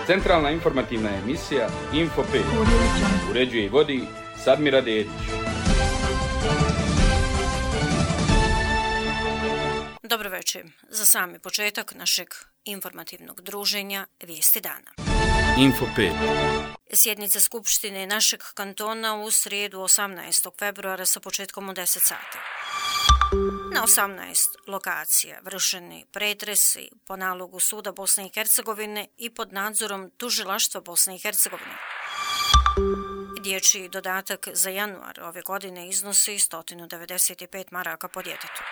Centralna informativna emisija Info 5. Uređuje i vodi Sadmira Dedić. Dobro večer. Za sami početak našeg informativnog druženja Vijesti dana. Info 5. Sjednica Skupštine našeg kantona u srijedu 18. februara sa početkom u 10 sati. Na 18 lokacija vršeni pretresi po nalogu Suda Bosne i Hercegovine i pod nadzorom Tužilaštva Bosne i Hercegovine. Dječji dodatak za januar ove godine iznosi 195 maraka po djetetu.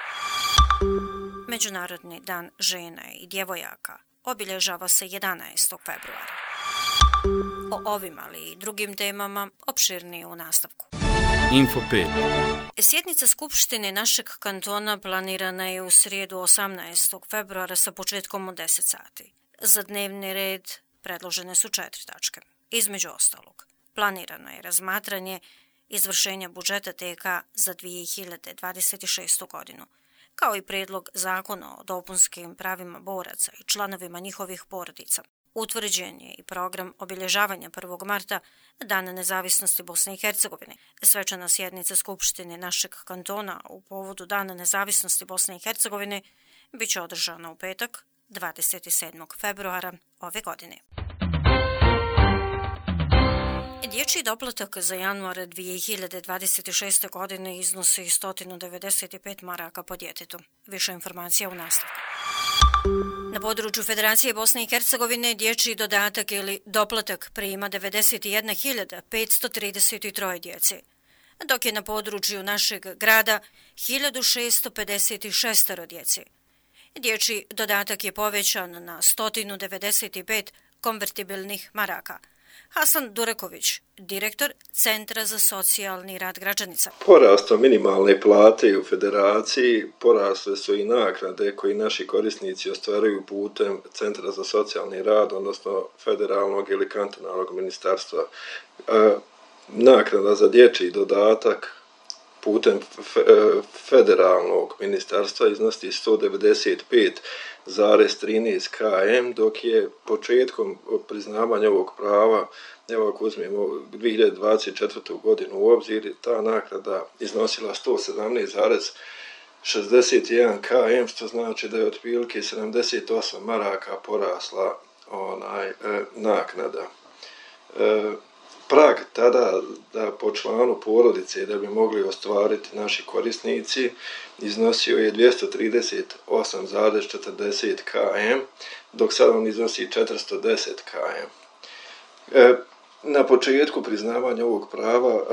Međunarodni dan žena i djevojaka obilježava se 11. februara. O ovim, ali i drugim temama opširnije u nastavku. Info 5. Sjednica Skupštine našeg kantona planirana je u srijedu 18. februara sa početkom u 10 sati. Za dnevni red predložene su 4 tačke. Između ostalog, planirano je razmatranje izvršenja budžeta TK za 2026. godinu, kao i prijedlog zakona o dopunskim pravima boraca i članovima njihovih porodica. Utvrđen je i program obilježavanja 1. marta, Dana nezavisnosti Bosne i Hercegovine. Svečana sjednica Skupštine našeg kantona u povodu Dana nezavisnosti Bosne i Hercegovine bit će održana u petak, 27. februara ove godine. Dječji doplatak za januar 2026. godine iznosi 195 maraka po djetetu. Više informacija u nastavku. Na području Federacije Bosne i Hercegovine dječji dodatak ili doplatak prima 91.533 djece, dok je na području našeg grada 1656 djece. Dječji dodatak je povećan na 195 konvertibilnih maraka. Hasan Dureković, direktor Centra za socijalni rad Gračanica. Porastom minimalne plate u Federaciji porasle su i naknade koji naši korisnici ostvaruju putem Centra za socijalni rad, odnosno federalnog ili kantonalnog ministarstva. Naknada za dječji dodatak putem federalnog ministarstva iznosi 195,13 km, dok je početkom priznavanja ovog prava, evo ako uzmemo 2024. godinu u obzir, ta naknada iznosila 117,61 km, što znači da je otprilike 78 maraka porasla naknada. Prag tada da po članu porodice da bi mogli ostvariti naši korisnici iznosio je 238,40 km, dok sad on iznosi 410 km. Na početku priznavanja ovog prava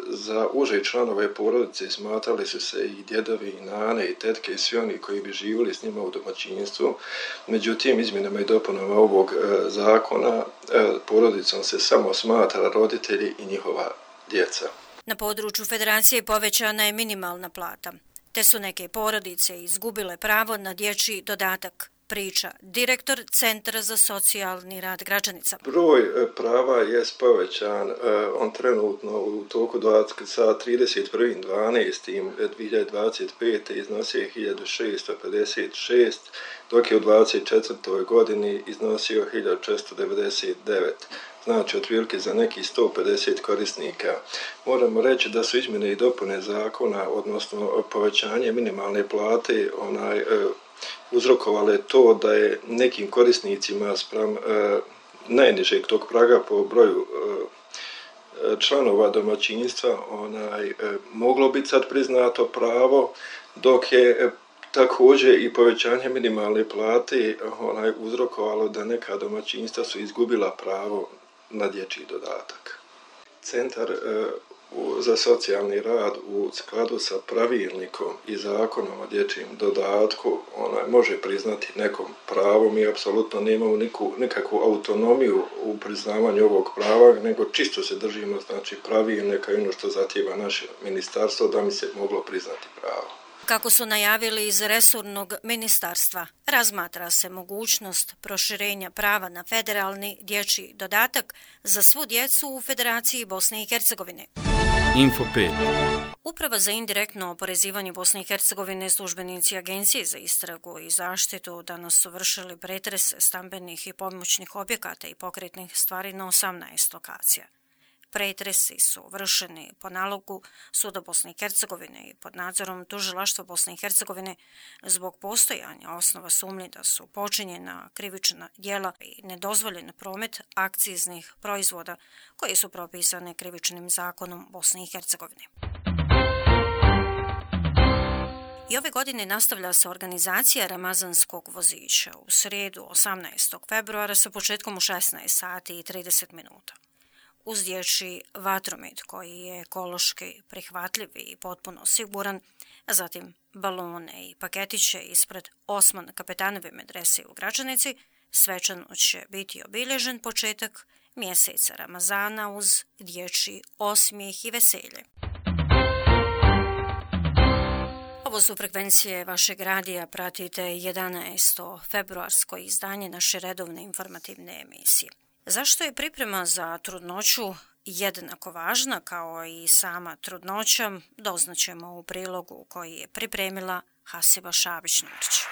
za uže članove porodice smatrali su se i djedovi, i nane, i tetke, i svi oni koji bi živjeli s njima u domaćinstvu. Međutim, izmjenama i dopunama ovog zakona porodicom se samo smatra roditelji i njihova djeca. Na području Federacije povećana je minimalna plata, te su neke porodice izgubile pravo na dječji dodatak, priča direktor Centra za socijalni rad Gračanica. Broj prava je povećan, on trenutno u toku sa 31.12.2025. iznosio 1656, dok je u 2024. godini iznosio 1499. Znači otprilike za nekih 150 korisnika. Moramo reći da su izmjene i dopune zakona, odnosno povećanje minimalne plate, uzrokovale to da je nekim korisnicima spram najnižeg tog praga po broju članova domaćinstva moglo biti sad priznato pravo, dok je također i povećanje minimalne plate uzrokovalo da neka domaćinstva su izgubila pravo na dječji dodatak. Centar za socijalni rad u skladu sa pravilnikom i zakonom o dječjem dodatku može priznati nekom pravo. Mi apsolutno nemamo nikakvu autonomiju u priznavanju ovog prava, nego čisto se držimo pravilnika i ono što zahtijeva naše ministarstvo da mi se moglo priznati pravo. Kako su najavili iz resornog ministarstva, razmatra se mogućnost proširenja prava na federalni dječji dodatak za svu djecu u Federaciji Bosne i Hercegovine. Info5. Uprava za indirektno oporezivanje Bosne i Hercegovine, službenici Agencije za istragu i zaštitu danas su vršili pretrese stambenih i pomoćnih objekata i pokretnih stvari na 18 lokacija. Pretresi su vršeni po nalogu Suda Bosne i Hercegovine i pod nadzorom Tužilaštva Bosne i Hercegovine zbog postojanja osnova sumnje da su počinjena krivična djela i nedozvoljen promet akciznih proizvoda koji su propisane krivičnim zakonom Bosne i Hercegovine. I ove godine nastavlja se organizacija Ramazanskog vozića u srijedu 18. februara sa početkom u 16 sati i 30 minuta. Uz dječji vatromet koji je ekološki prihvatljiv i potpuno siguran, zatim balone i paketiće ispred Osman Kapetanove medrese u Gračanici, svečano će biti obilježen početak mjeseca Ramazana uz dječji osmijeh i veselje. Ovo su frekvencije vašeg radija, pratite 11. februarsko izdanje naše redovne informativne emisije. Zašto je priprema za trudnoću jednako važna kao i sama trudnoća, doznaćemo u prilogu koji je pripremila Hasiba Šabić-Nurić.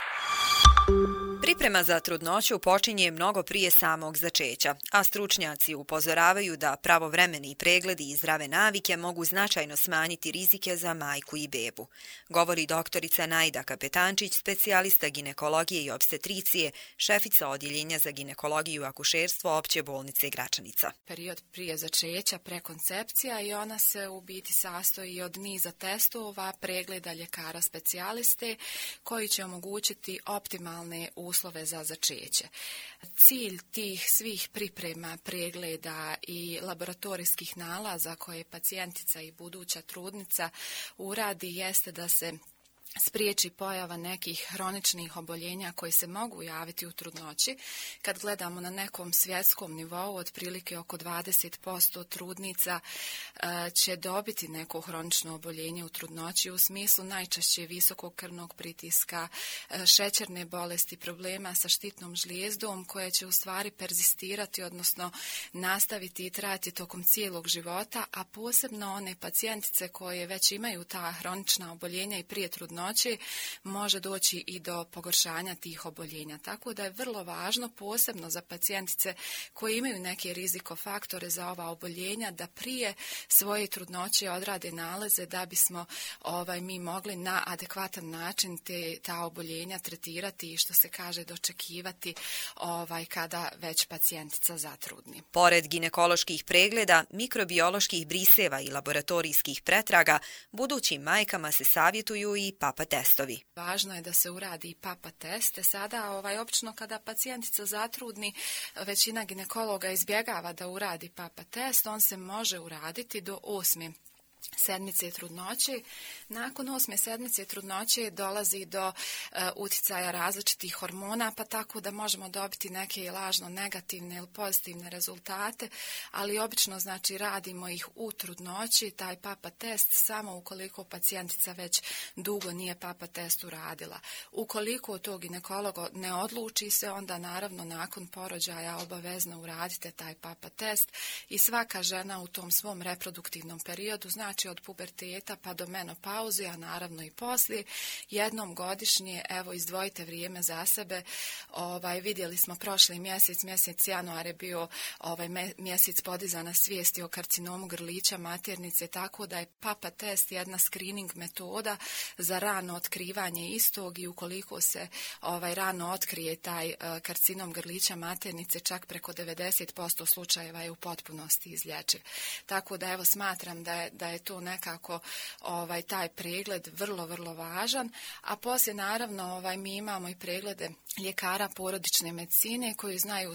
Priprema za trudnoću počinje mnogo prije samog začeća, a stručnjaci upozoravaju da pravovremeni pregledi i zdrave navike mogu značajno smanjiti rizike za majku i bebu. Govori doktorica Najda Kapetančić, specijalista ginekologije i opstetricije, šefica odjeljenja za ginekologiju i akušerstvo Opće bolnice Gračanica. Period prije začeća, prekoncepcija, i ona se u biti sastoji od niza testova, pregleda ljekara specijaliste koji će omogućiti optimalne uslove za začeće. Cilj tih svih priprema, pregleda i laboratorijskih nalaza koje pacijentica i buduća trudnica uradi jeste da se spriječi pojava nekih hroničnih oboljenja koji se mogu javiti u trudnoći. Kad gledamo na nekom svjetskom nivou, otprilike oko 20% trudnica će dobiti neko hronično oboljenje u trudnoći u smislu najčešće visokog krvnog pritiska, šećerne bolesti, problema sa štitnom žlijezdom koje će u stvari perzistirati, odnosno nastaviti i trajati tokom cijelog života, a posebno one pacijentice koje već imaju ta hronična oboljenja i prije trudnoći može doći i do pogoršanja tih oboljenja. Tako da je vrlo važno, posebno za pacijentice koji imaju neke rizikofaktore za ova oboljenja, da prije svoje trudnoće odrade nalaze da bismo mi mogli na adekvatan način ta oboljenja tretirati i, što se kaže, dočekivati kada već pacijentica zatrudni. Pored ginekoloških pregleda, mikrobioloških briseva i laboratorijskih pretraga, budućim majkama se savjetuju i papa testovi. Važno je da se uradi i papa test. Sada, obično kada pacijentica zatrudni, većina ginekologa izbjegava da uradi papa test. On se može uraditi do 8. sedmice trudnoće. Nakon 8. sedmice trudnoće dolazi do uticaja različitih hormona, pa tako da možemo dobiti neke lažno negativne ili pozitivne rezultate, ali obično radimo ih u trudnoći, taj papa test, samo ukoliko pacijentica već dugo nije papa test uradila. Ukoliko to ginekologo ne odluči se, onda naravno nakon porođaja obavezno uradite taj papa test i svaka žena u tom svom reproduktivnom periodu, od puberteta pa do menopauze, a naravno i poslije, jednom godišnje, izdvojite vrijeme za sebe. Vidjeli smo prošli mjesec januar je bio mjesec podizana svijesti o karcinomu grlića maternice, tako da je papa test jedna screening metoda za rano otkrivanje istog i ukoliko se rano otkrije taj karcinom grlića maternice, čak preko 90% slučajeva je u potpunosti izlječiv. Tako da smatram da je to nekako taj pregled vrlo, vrlo važan, a poslije naravno mi imamo i preglede ljekara porodične medicine koji znaju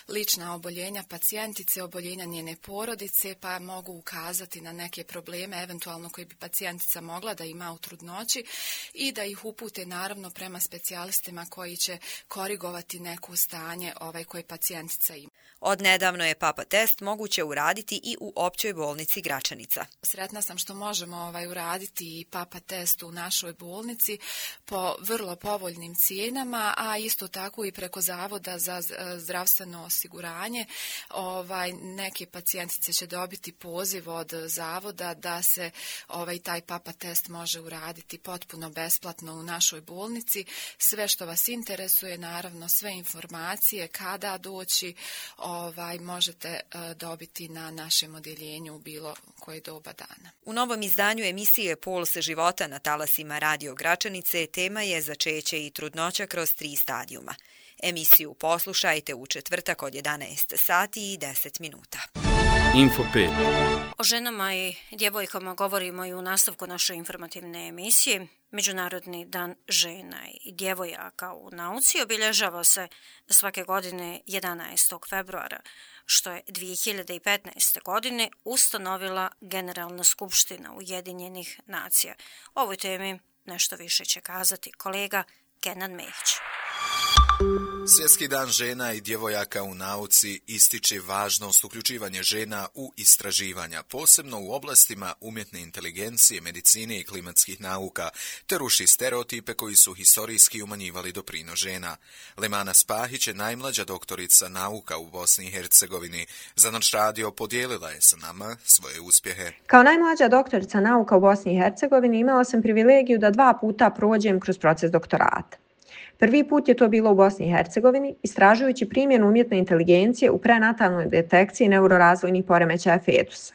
lična oboljenja pacijentice, oboljenja njene porodice, pa mogu ukazati na neke probleme eventualno koje bi pacijentica mogla da ima u trudnoći i da ih upute naravno prema specijalistima koji će korigovati neko stanje koje pacijentica ima. Od nedavno je papa test moguće uraditi i u Općoj bolnici Gračanica. Sretna sam što možemo uraditi i papa test u našoj bolnici po vrlo povoljnim cijenama, a isto tako i preko Zavoda za zdravstveno osiguranje. Neke pacijentice će dobiti poziv od Zavoda da se taj papa test može uraditi potpuno besplatno u našoj bolnici. Sve što vas interesuje, naravno sve informacije, kada doći, možete dobiti na našem odjeljenju u bilo koje doba dana. U novom izdanju emisije Pols života na talasima Radio Gračanice tema je začeće i trudnoća kroz 3 stadijuma. Emisiju poslušajte u četvrtak od 11 sati i 10 minuta. Info 5. O ženama i djevojkama govorimo i u nastavku naše informativne emisije. Međunarodni dan žena i djevojaka u nauci obilježava se svake godine 11. februara, što je 2015. godine ustanovila Generalna skupština Ujedinjenih nacija. O ovoj temi nešto više će kazati kolega Kenan Mehić. Svjetski dan žena i djevojaka u nauci ističe važnost uključivanja žena u istraživanja, posebno u oblastima umjetne inteligencije, medicine i klimatskih nauka, te ruši stereotipe koji su historijski umanjivali doprinos žena. Lemana Spahić je najmlađa doktorica nauka u Bosni i Hercegovini. Za naš radio podijelila je sa nama svoje uspjehe. Kao najmlađa doktorica nauka u Bosni i Hercegovini imala sam privilegiju da 2 puta prođem kroz proces doktorata. Prvi put je to bilo u Bosni i Hercegovini, istražujući primjenu umjetne inteligencije u prenatalnoj detekciji neurorazvojnih poremećaja fetusa.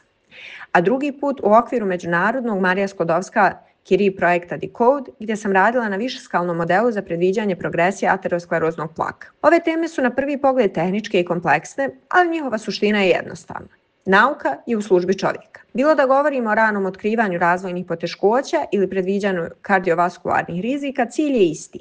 A drugi put u okviru međunarodnog Marija Sklodowska-Curie projekta Decode, gdje sam radila na višeskalnom modelu za predviđanje progresije ateroskleroznog plaka. Ove teme su na prvi pogled tehničke i kompleksne, ali njihova suština je jednostavna. Nauka je u službi čovjeka. Bilo da govorimo o ranom otkrivanju razvojnih poteškoća ili predviđanju kardiovaskularnih rizika, cilj je isti.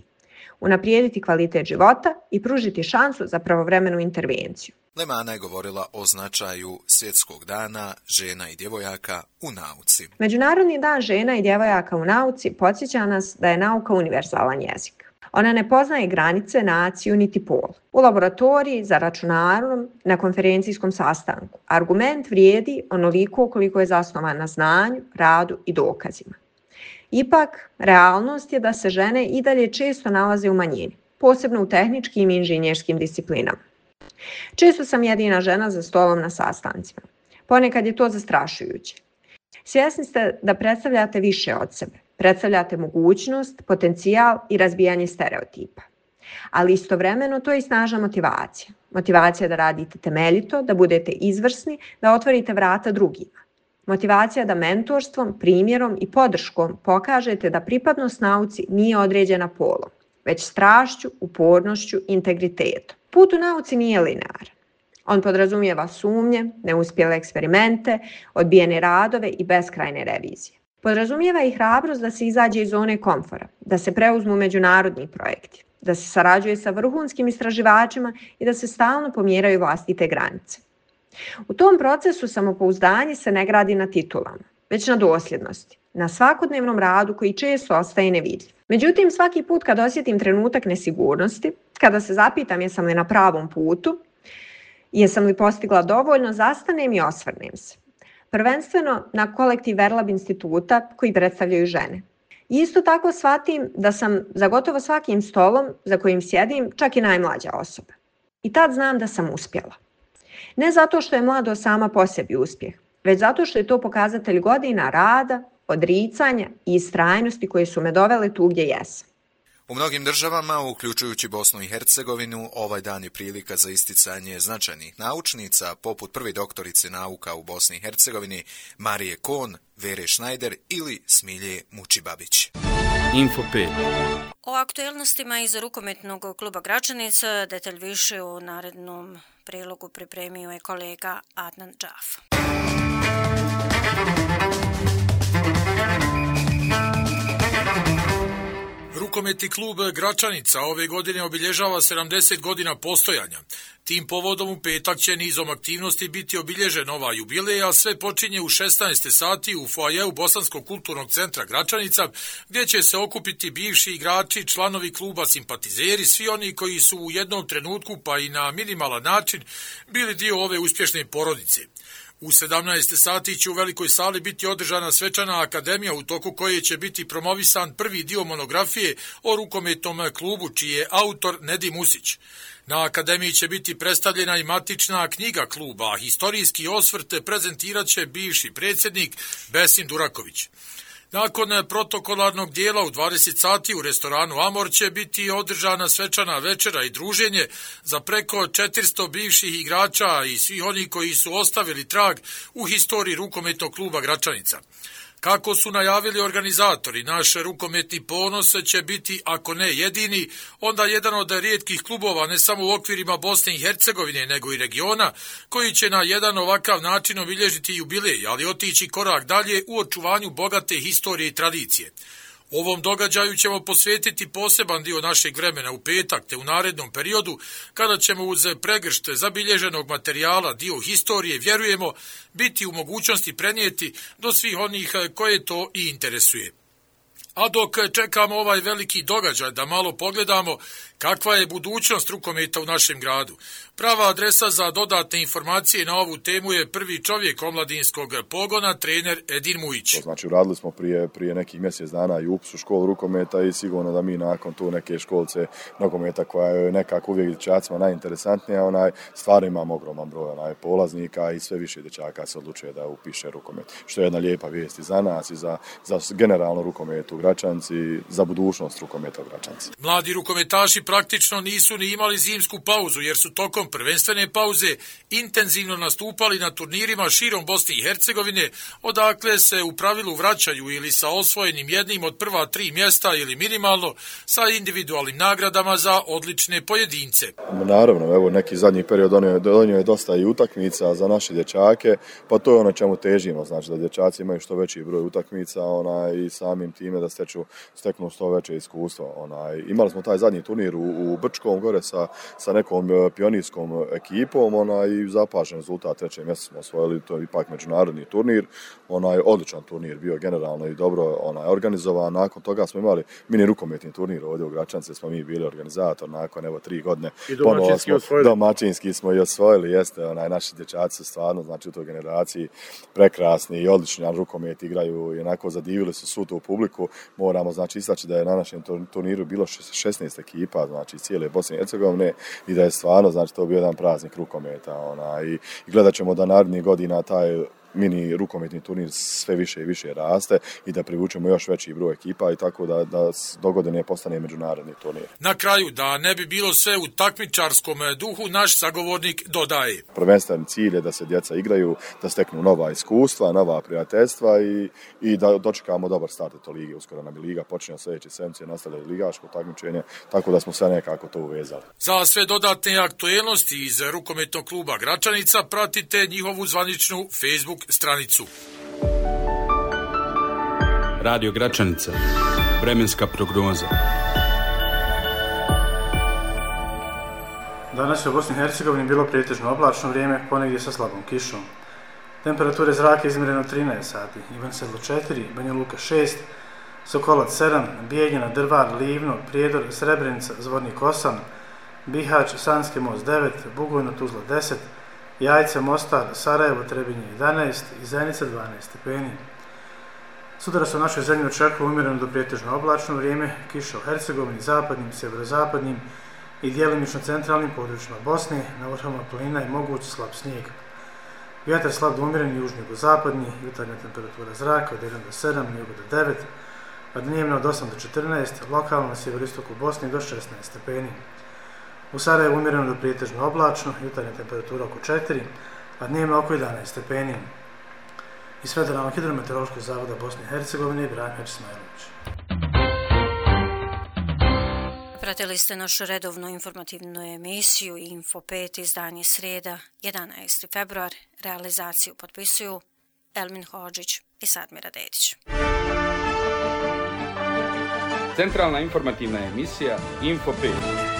Unaprijediti kvalitet života i pružiti šansu za pravovremenu intervenciju. Lemana je govorila o značaju Svjetskog dana žena i djevojaka u nauci. Međunarodni dan žena i djevojaka u nauci podsjeća nas da je nauka univerzalan jezik. Ona ne poznaje granice, naciju niti pol. U laboratoriji, za računarom, na konferencijskom sastanku. Argument vrijedi onoliko koliko je zasnovan na znanju, radu i dokazima. Ipak, realnost je da se žene i dalje često nalaze u manjini, posebno u tehničkim i inženjerskim disciplinama. Često sam jedina žena za stolom na sastancima. Ponekad je to zastrašujuće. Svjesni ste da predstavljate više od sebe. Predstavljate mogućnost, potencijal i razbijanje stereotipa. Ali istovremeno to je i snažna motivacija. Motivacija da radite temeljito, da budete izvrsni, da otvorite vrata drugima. Motivacija da mentorstvom, primjerom i podrškom pokažete da pripadnost nauci nije određena polom, već strašću, upornošću, integritetom. Put u nauci nije linearan. On podrazumijeva sumnje, neuspjele eksperimente, odbijene radove i beskrajne revizije. Podrazumijeva i hrabrost da se izađe iz zone komfora, da se preuzmu međunarodni projekti, da se sarađuje sa vrhunskim istraživačima i da se stalno pomjeraju vlastite granice. U tom procesu samopouzdanje se ne gradi na titulama, već na dosljednosti, na svakodnevnom radu koji često ostaje nevidljiv. Međutim, svaki put kad osjetim trenutak nesigurnosti, kada se zapitam jesam li na pravom putu, jesam li postigla dovoljno, zastanem i osvrnem se. Prvenstveno na kolektiv Verlab instituta koji predstavljaju žene. Isto tako shvatim da sam za gotovo svakim stolom za kojim sjedim čak i najmlađa osoba. I tad znam da sam uspjela. Ne zato što je mladost sama po sebi uspjeh, već zato što je to pokazatelj godina rada, odricanja i istrajnosti koje su me dovele tu gdje jesam. U mnogim državama, uključujući Bosnu i Hercegovinu, ovaj dan je prilika za isticanje značajnih naučnica, poput prve doktorice nauka u Bosni i Hercegovini, Marije Kohn, Vere Schneider ili Smilje Mučibabić. Info 5. O aktuelnostima iz rukometnog kluba Gračanica detalj više u narednom prilogu pripremio je kolega Adnan Džaf. Rukometni klub Gračanica ove godine obilježava 70 godina postojanja. Tim povodom u petak će nizom aktivnosti biti obilježen ova jubilej, a sve počinje u 16 sati u foajeu Bosanskog kulturnog centra Gračanica, gdje će se okupiti bivši igrači, članovi kluba, simpatizeri, svi oni koji su u jednom trenutku pa i na minimalan način bili dio ove uspješne porodice. U 17 sati će u velikoj sali biti održana svečana akademija u toku koje će biti promovisan prvi dio monografije o rukometnom klubu čiji je autor Nedim Usić. Na akademiji će biti predstavljena i matična knjiga kluba, a historijski osvrt prezentirat će bivši predsjednik Besim Duraković. Nakon protokolarnog dijela u 20 sati u restoranu Amor će biti održana svečana večera i druženje za preko 400 bivših igrača i svih onih koji su ostavili trag u historiji rukometnog kluba Gračanica. Kako su najavili organizatori, naš rukometni ponos će biti, ako ne jedini, onda jedan od rijetkih klubova ne samo u okvirima Bosne i Hercegovine, nego i regiona, koji će na jedan ovakav način obilježiti jubilej, ali otići korak dalje u očuvanju bogate historije i tradicije. Ovom događaju ćemo posvetiti poseban dio našeg vremena u petak te u narednom periodu, kada ćemo uz pregršt zabilježenog materijala dio historije, vjerujemo, biti u mogućnosti prenijeti do svih onih koje to i interesuje. A dok čekamo ovaj veliki događaj da malo pogledamo kakva je budućnost rukometa u našem gradu. Prava adresa za dodatne informacije na ovu temu je prvi čovjek omladinskog pogona, trener Edin Mujić. Znači, radili smo prije nekih mjesec dana i upis u školu rukometa i sigurno da mi nakon tu neke školce nokometa koja je nekako uvijek dječacima najinteresantnija, stvarno imamo ogroman broj polaznika i sve više dječaka se odlučuje da upiše rukomet. Što je jedna lijepa vijest i za nas i za generalno rukomet u Gračanci, za budućnost rukometa u Gračanci. Mladi rukometaši praktično nisu ni imali zimsku pauzu jer su tokom prvenstvene pauze intenzivno nastupali na turnirima širom Bosne i Hercegovine, odakle se u pravilu vraćaju ili sa osvojenim jednim od prva 3 mjesta ili minimalno sa individualnim nagradama za odlične pojedince. Naravno, evo neki zadnji period donio je dosta i utakmica za naše dječake, pa to je ono čemu težimo, znači da dječaci imaju što veći broj utakmica i samim time da steknu što veće iskustvo. Imali smo taj zadnji turnir u Brčkom gore sa nekom pionirskom ekipom i zapažen rezultat, 3. mjesto smo osvojili, to je ipak međunarodni turnir, odličan turnir bio generalno i dobro organizovan. Nakon toga smo imali mini rukometni turnir ovdje u Gračanci, smo mi bili organizator nakon 3 godine. I domaćinski smo i osvojili, jeste, naši dječaci su stvarno, znači u toj generaciji prekrasni i odlični rukomet igraju i onako zadivili su svu tu publiku. Moramo znači istaći da je na našem turniru bilo 16 ekipa, znači cijele Bosne i Hercegovine i da je stvarno, znači to bio jedan praznik rukometa i gledat ćemo da narednih godina taj mini rukometni turnir sve više i više raste i da privučemo još veći broj ekipa i tako da dogodine postane međunarodni turnir. Na kraju, da ne bi bilo sve u takmičarskom duhu, naš sagovornik dodaje. Prvenstveni cilj je da se djeca igraju, da steknu nova iskustva, nova prijateljstva i da dočekamo dobar start to ligi. Uskoro nam je liga počinje sljedeće sedmice, nastavlja ligaško takmičenje, tako da smo sve nekako to uvezali. Za sve dodatne aktuelnosti iz rukometnog kluba Gračanica pratite njihovu zvaničnu Facebook stranicu. Radio Gračanica. Vremenska prognoza. Danas je u Bosni i Hercegovini bilo pretežno oblačno vrijeme, ponegdje sa slabom kišom. Temperature zraka izmjereno 13 sati, Ivan Sedlo 4, Banja Luka 6, Sokolac 7, Bijeljina, Drvar, Livno, Prijedor, Srebrenica, Zvornik 8, Bihać, Sanski most 9, Bugojno, Tuzla 10, Jajce, Mostar, Sarajevo, Trebinje 11 i Zenica 12 stepeni. Sutra se u našoj zemlji očekuje umjereno do pretežno oblačno vrijeme, kiša u Hercegovini, zapadnim, sjeverozapadnim i djelimično centralnim područjima Bosne, na vrhovima planina je moguć slab snijeg. Vjetar slab do umjeren južno-zapadni, jutarnja temperatura zraka od 1 do 7, jugo do 9, a dnevno od 8 do 14, lokalno na sjeveristoku Bosne do 16 stepeni. U Sarajevu umjereno do pretežno oblačno, jutarnja temperatura oko 4, a dnevno oko 11 stepeni. Iz Federalnog hidrometeorološkog zavoda Bosne i Hercegovine, Branko Ismailović. Pratili ste našu redovnu informativnu emisiju Info 5, izdanje srijeda, 11. februar. Realizaciju potpisuju Elmin Hodžić i Sadmira Dedić. Centralna informativna emisija Info 5.